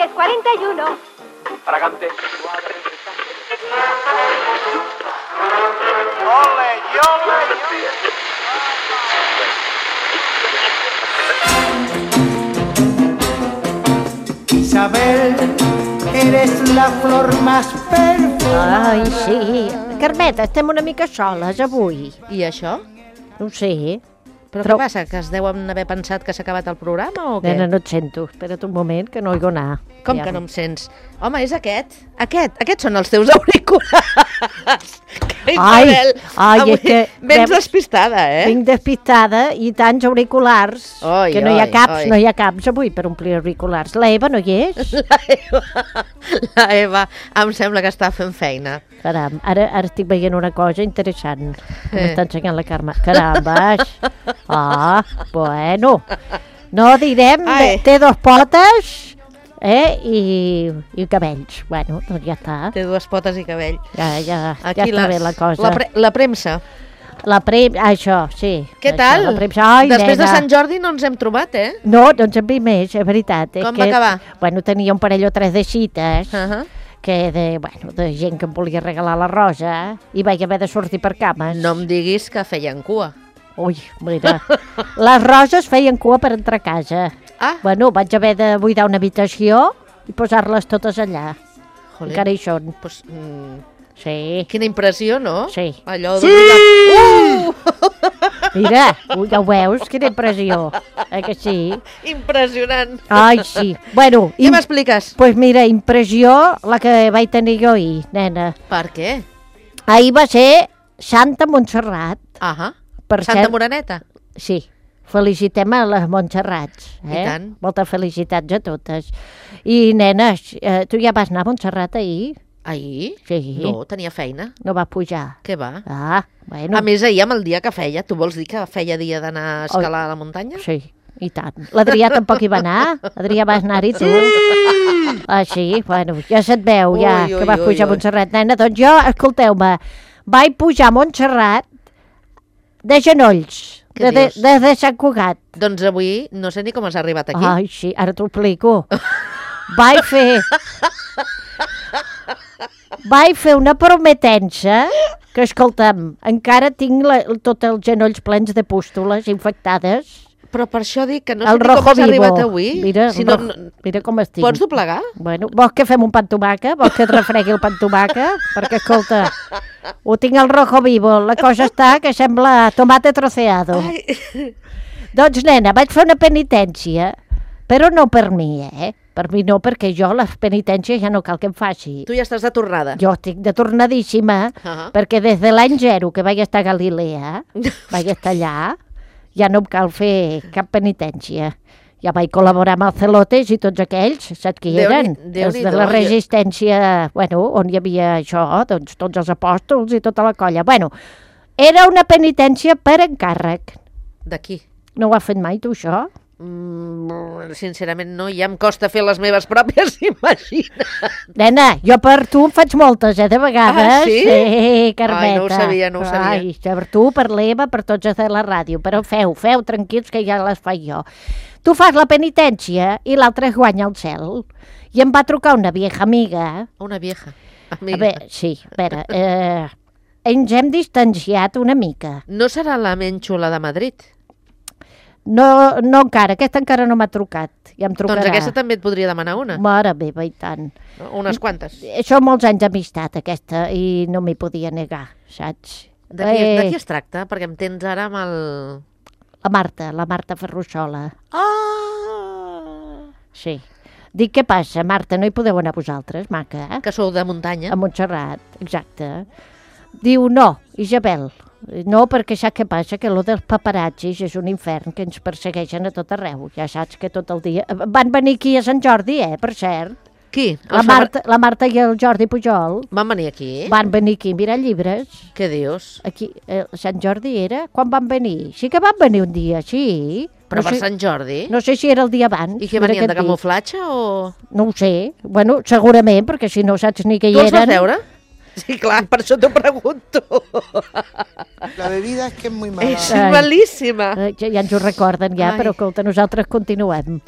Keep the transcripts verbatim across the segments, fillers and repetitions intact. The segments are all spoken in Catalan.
diez cuarenta y uno. Fragante. ¡Ole, ole, ole! Isabel, eres la flor más perfumada. Ai, sí. Carmeta, estem una mica soles avui. I això? No ho sé. Però Però- què passa? Que es deuen haver pensat que s'ha acabat el programa o què? Nena, no et sento. Espera't un moment, que no oigo anar. Com Ja. que no em sents? Home, és aquest. Aquest. Aquests són els teus auriculars. Que Isabel, ai, avui és que- vens veus- despistada, eh? Vinc despistada i tants auriculars. Oi, que no hi ha oi, caps, oi. no hi ha caps avui per omplir auriculars. La Eva no hi és? La Eva, la Eva em sembla que està fent feina. Caram, ara, ara estic veient una cosa interessant que Eh. m'està ensenyant la Carme. Carambes! Ah, bueno. No direm, Ai. té dos potes eh, i, i cabells. Bueno, doncs ja està. Té dues potes i cabell. Ja, ja, ja Aquí està les- bé la cosa. La, pre la premsa. La prem... Ah, això, sí. Què Això, tal? La premsa. Ai, Després nena. de Sant Jordi no ens hem trobat, eh? No, no ens en vi més, és veritat. És Com que, va acabar? Bueno, tenia un parell o tres de cites, Uh -huh. que de, bueno, de gent que em volia regalar la rosa, i vaig haver de sortir per cames. No em diguis que feien cua. Ui, mira, les roses feien cua per entrar a casa. Ah, Bueno, vaig haver de buidar una habitació i posar-les totes allà. joder. Encara hi són. Pues, mm, Sí, quina impressió, no? Sí. Allò de... Uh! mira, ui, ja ho veus, quina impressió. Eh que sí? Impressionant. Ai, sí. Bueno, Què im- m'expliques? pues mira, impressió la que vaig tenir jo ahir, nena. Per què? Ahir va ser Santa Montserrat. Ahà. Per Santa cert- Moreneta. Sí, felicitem a les Montserrats. Eh? I tant. Moltes felicitats a totes. I, nenes, eh, tu ja vas anar a Montserrat ahir? Ahir? Sí. No, tenia feina. No vas pujar? Què va? Ah, bueno. A més, ahir amb el dia que feia, tu vols dir que feia dia d'anar a escalar a la muntanya? Sí, i tant. L'Adrià tampoc hi va anar? Adrià, vas anar-hi tu? Ah, sí? Bueno, ja se't veu, ja, Ui, ui, que vas ui, pujar ui. a Montserrat. Nena, doncs jo, escolteu-me, vaig pujar a Montserrat de genolls, Què de, de, dius? de, de Sant Cugat. Doncs avui no sé ni com has arribat aquí. Ai, sí, ara t'ho explico. Vaig fer... Vaig fer una prometença que, escolta'm, encara tinc la, tots els genolls plens de pústules infectades. Però per això dic que no el sé ni com rojo has vivo. arribat avui. Mira, si el no, rojo- no, mira com estic. pots doblegar? Bueno, vols que fem un pa amb tomaca? Vols que et refregui el pa amb tomaca? Perquè, escolta, ho tinc al rojo vivo. La cosa està que sembla tomate troceado. Ai. Doncs, nena, vaig fer una penitència, però no per mi, eh? Per mi no, perquè jo les penitències ja no cal que em faci. Tu ja estàs de tornada. Jo estic de tornadíssima, Ah. perquè des de l'any zero que vaig estar a Galilea, vaig estar allà, ja no em cal fer cap penitència. Ja vaig col·laborar amb els celotes i tots aquells, saps qui Déu-n'hi- eren? Déu-n'hi-do, Els de la jo- resistència, bueno, on hi havia això, doncs tots els apòstols i tota la colla. Bueno, era una penitència per encàrrec. D'aquí. No ho has fet mai, tu, això? Mm, sincerament no, ja em costa fer les meves pròpies, imagina. Nena, jo per tu en faig moltes, eh, de vegades. Ah, sí? Sí, Carmeta. Ai, no ho sabia, no ho sabia. Ai, per tu, per l'Eva, per tots els de la ràdio. Però feu, feu, tranquils, que ja les faig jo. Tu fas la penitència i l'altre es guanya el cel. I em va trucar una vieja amiga. Una vieja. A Amiga. veure, sí, a veure, eh, ens hem distanciat una mica. No serà la menys xula de Madrid? No, no encara, aquesta encara no m'ha trucat. Ja em trucarà. Doncs aquesta també et podria demanar una. Mare meva, i tant. No? Unes quantes. Són molts anys d'amistat, aquesta, i no m'hi podia negar, saps? De qui, Eh, de qui es tracta? Perquè em tens ara amb el... La Marta, la Marta Ferrusola. Ah! Sí. Dic, què passa, Marta, no hi podeu anar vosaltres, maca? Eh? Que sou de muntanya. A Montserrat, exacte. Diu, no, Isabel, no, perquè saps què passa? Que lo dels paparazzis és un infern que ens persegueixen a tot arreu. Ja saps que tot el dia... Van venir aquí a Sant Jordi, eh, per cert. Qui? La Els Marta, la Marta i el Jordi Pujol Van venir aquí? van venir aquí a mirar llibres. Què dius? Aquí, eh, Sant Jordi era? Quan van venir? Sí que van venir un dia, sí. Però no per sé, Sant Jordi? No sé si era el dia abans. I què mira venien, què de et dic. camuflatge o...? No ho sé. Bueno, segurament, perquè si no saps ni què Tu hi els vas eren. veure? Sí, clar, per això t'ho pregunto. La bebida es que es muy mala. És Ai. malíssima. Eh, Ja, ja ens ho recorden, ja, Ai. però escolta, nosaltres continuem.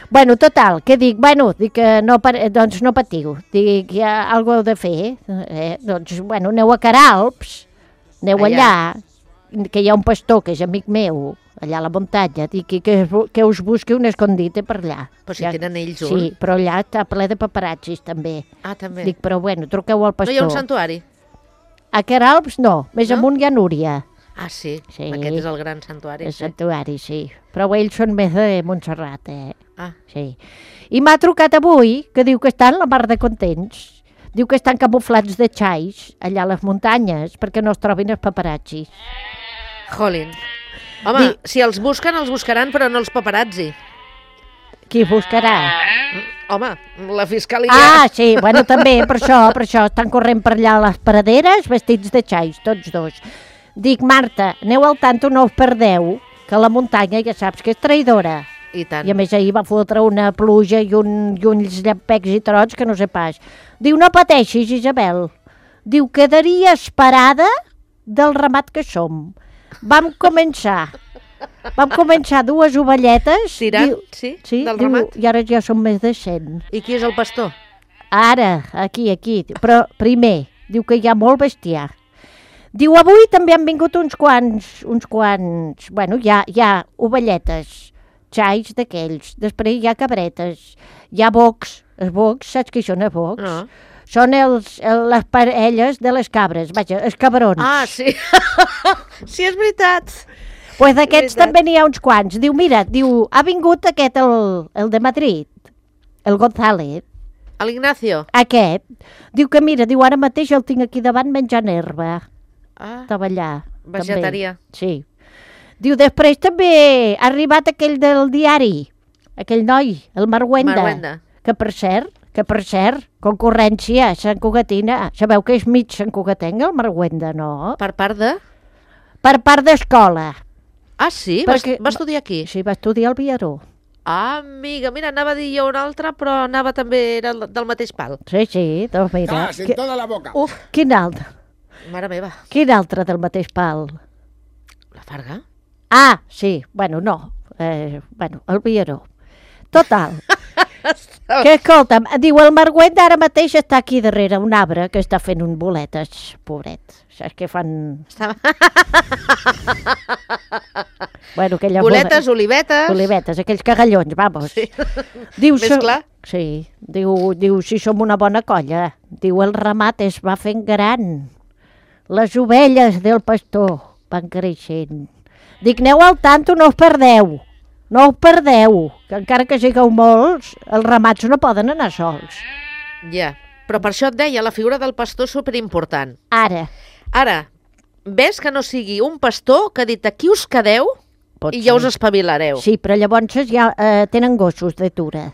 Bueno, total, què dic? Bueno, dic que no, pa- doncs no patiu. Dic, hi ha alguna cosa heu de fer. Eh? Doncs, bueno, aneu a Caralps, aneu Allà. allà, que hi ha un pastor que és amic meu, allà a la muntanya, dic que, que, que us busqui un escondite per allà. Però si Ja- tenen ells un. Sí, però allà està ple de paparazzis, també. Ah, també. Dic, però bueno, truqueu al No pastor. hi ha un santuari? A Caralps no, més No? amunt hi ha Núria. Ah, sí. Sí. Aquest és el gran santuari. El Sí. santuari, sí. Però ells són més de Montserrat, eh? Ah, Sí. I m'ha trucat avui, que diu que estan la mar de contents. Diu que estan camuflats de xais allà a les muntanyes perquè no es trobin els paparazzis. jolín. Home, Di- si els busquen, els buscaran, però no els paparazzi. Qui els buscarà? Home, la fiscalia... Ah, sí, bueno, també, per això, per això, estan corrent per allà a les paraderes vestits de xais, tots dos. Dic, Marta, aneu al tanto, no us perdeu, que la muntanya ja saps que és traïdora. I tant. I a més ahir va fotre una pluja i, un, i uns llampecs i trots que no sé pas. Diu, no pateixis, Isabel. Diu, quedaria esperada del ramat que som. Vam començar, vam començar dues ovelletes. Tirant, diu, sí, sí del diu, ramat. I ara ja són més de cent. I qui és el pastor? Ara, aquí, aquí. Però primer, diu que hi ha molt bestiar. Diu, avui també han vingut uns quants, uns quants, bueno, hi ha, hi ha ovelletes, xais d'aquells, després hi ha cabretes, hi ha bocs, els bocs, saps què són els bocs? No. Són els, el, les parelles de les cabres, vaja, els cabrons. Ah, sí. sí, és veritat. Pues d'aquests veritat. també n'hi ha uns quants. Diu, mira, diu, ha vingut aquest, el, el de Madrid, el González, L'Ignacio. aquest. Diu que, mira, diu, ara mateix el tinc aquí davant menjant herba. Ah, Estava allà. Vegetarià. També. Sí. Diu, després també ha arribat aquell del diari, aquell noi, el Marwenda, Marwenda. que per cert, que per cert, concurrència a Sant Cugatina. Sabeu que és mig Sant Cugatenc, el Marwenda, no? Per part de... Per part d'escola. Ah, sí? Perquè- Va, va estudiar aquí? Sí, va estudiar al Viaró. Ah, amiga, mira, anava a dir jo un altre, però anava també, era del mateix pal. Sí, sí, doncs mira. Gas en Qui- toda la boca. Uf, Quin altre? mare meva, Quin altre del mateix pal? la Farga? Ah, sí, bueno, no. Eh, bueno, el Viaró. Total. Que escolta'm, diu, el Marguet ara mateix està aquí darrere un arbre que està fent un boletes, pobret. Saps que fan... Estava... Bueno, aquella Boletes, olivetes... Olivetes, aquells cagallons, vamos. Sí. Diu, Més so- clar. Sí, diu, diu, si som una bona colla. Diu, el ramat es va fent gran. Les ovelles del pastor van creixent. Dic, aneu al tanto, no us perdeu. No us perdeu, que encara que sigueu molts, els ramats no poden anar sols. Ja, però per això et deia, la figura del pastor és superimportant. Ara, Ara, ves que no sigui un pastor que ha dit aquí us quedeu pot i ja ser. us espavilareu. Sí, però llavors ja eh, tenen gossos de tura.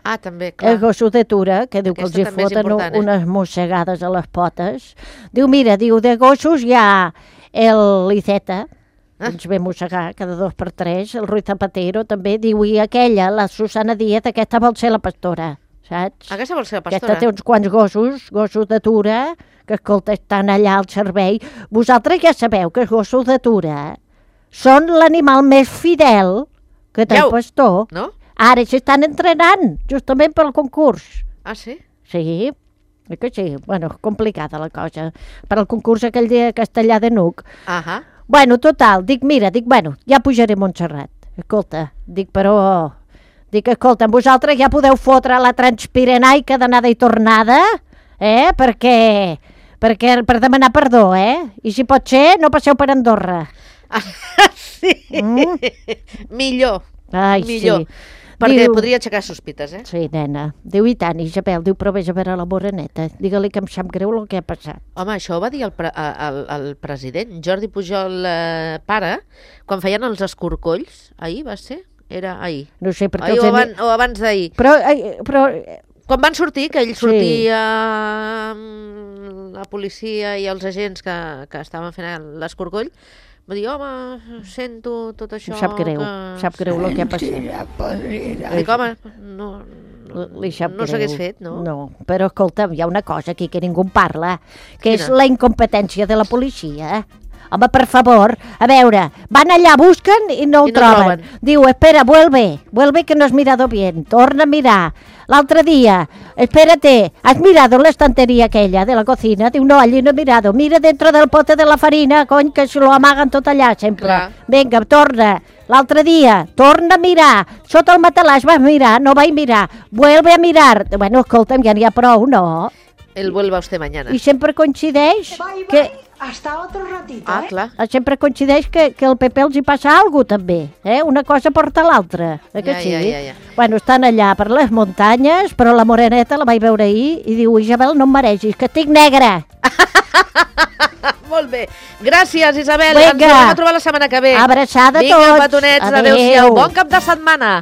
Ah, també, Clar. clar. Els gossos de tura, que diu Aquesta que els hi també és foten important, eh? unes mossegades a les potes. Diu, mira, diu, de gossos hi ha el Liceta, que Ah. ens ve mossegar cada dos per tres, el Ruiz Zapatero també, diu, i aquella, la Susana Díaz, aquesta vol ser la pastora, saps? Aquesta vol ser la Aquesta pastora? té uns quants gossos, gossos de tura, que, escolta, estan allà al servei. Vosaltres ja sabeu que els gossos de tura són l'animal més fidel que té Ja el ho- pastor. No? Ara s'estan entrenant, justament pel concurs. Ah, sí? Sí, oi que sí? Bueno, complicada la cosa. Per al concurs aquell de castellà de Nuc. Ahà. Bueno, total, dic, mira, dic, bueno, ja pujaré a Montserrat. Escolta, dic, però... Dic, escolta, vosaltres ja podeu fotre la transpirenaica d'anada i tornada, eh? Perquè... Perquè, per demanar perdó, eh? I si pot ser, no passeu per Andorra. Ah, sí. Mm? Millor. Ai, Millor. sí. Perquè Diu- podria aixecar sospites, eh? Sí, nena. Diu, i tant, Isabel, diu, però vés a veure la moreneta. Digue-li que em sap greu el que ha passat. Home, això ho va dir el, pre el, el president, Jordi Pujol, eh, pare, quan feien els escorcolls. Ahir va ser? Era ahir. No sé, perquè Ahir els o, he- aban o abans d'ahir. Però, ai, però, Quan van sortir, que ell Sí. sortia amb la policia i els agents que, que estaven fent l'escorcoll, va dir, home, sento tot això... em sap greu, que... sap greu el que ha passat. Dic, home, no, no, Li sap no greu. s'hagués fet, no? No, però escolta'm, hi ha una cosa aquí que ningú en parla, que és Quina? la incompetència de la policia. Home, per favor, a veure, van allà, busquen i no ho I no troben. troben. Diu, espera, vuelve, vuelve que no has mirado bien, torna a mirar. L'altre dia, espérate, ¿has mirado la estantería aquella de la cocina? Diu, no, allí no he mirado, mira dentro del pote de la farina, cony, que se lo amaguen tot allà, sempre. Clar. Vinga, torna. L'altre dia, torna a mirar. Sota el matalàs vas mirar, no vaig mirar. Vuelve a mirar. Bueno, escolta'm, ja n'hi ha prou, no? El vuelva usted mañana. I sempre coincideix Bye, bye. que... Hasta otro ratito, Ah, ¿eh? clar. Sempre coincideix que, que al P P els hi passa alguna cosa, també. Eh? Una cosa porta l'altra. Eh que Ja, sí? ja, ja, ja. Bueno, estan allà per les muntanyes, però la moreneta la vaig veure ahir i diu, Isabel, no em mereixis, que estic negra. Molt bé. Gràcies, Isabel. Vinga. Ens tornem a trobar la setmana que ve. Abraçada a Vinga, tots. petonets. Adéu. Adéu-siau. Bon cap de setmana.